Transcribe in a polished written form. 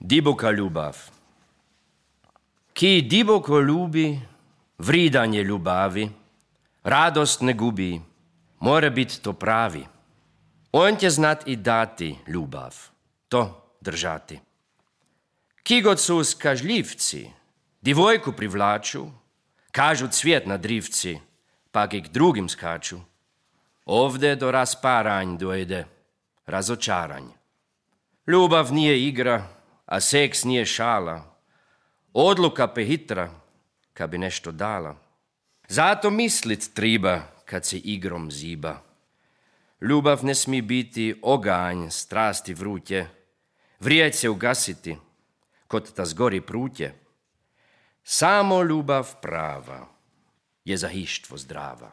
Diboka ljubav. Ki diboko ljubi, vridanje ljubavi, radost ne gubi, mora biti to pravi. On će znat i dati ljubav, to držati. Ki god su skažljivci, divojku privlaču, kažu cvijet na drivci, pak i k drugim skaču. Ovdje do rasparanj dojde, razočaranj. Ljubav nije igra, a seks nije šala. Odluka prehitra, kad bi nešto dala. Zato mislit triba, kad se igrom ziba. Ljubav ne smije biti oganj, strasti vrutje. Vrijeć se ugasiti, kod ta zgori prutje. Samo ljubav prava je za hištvo zdrava.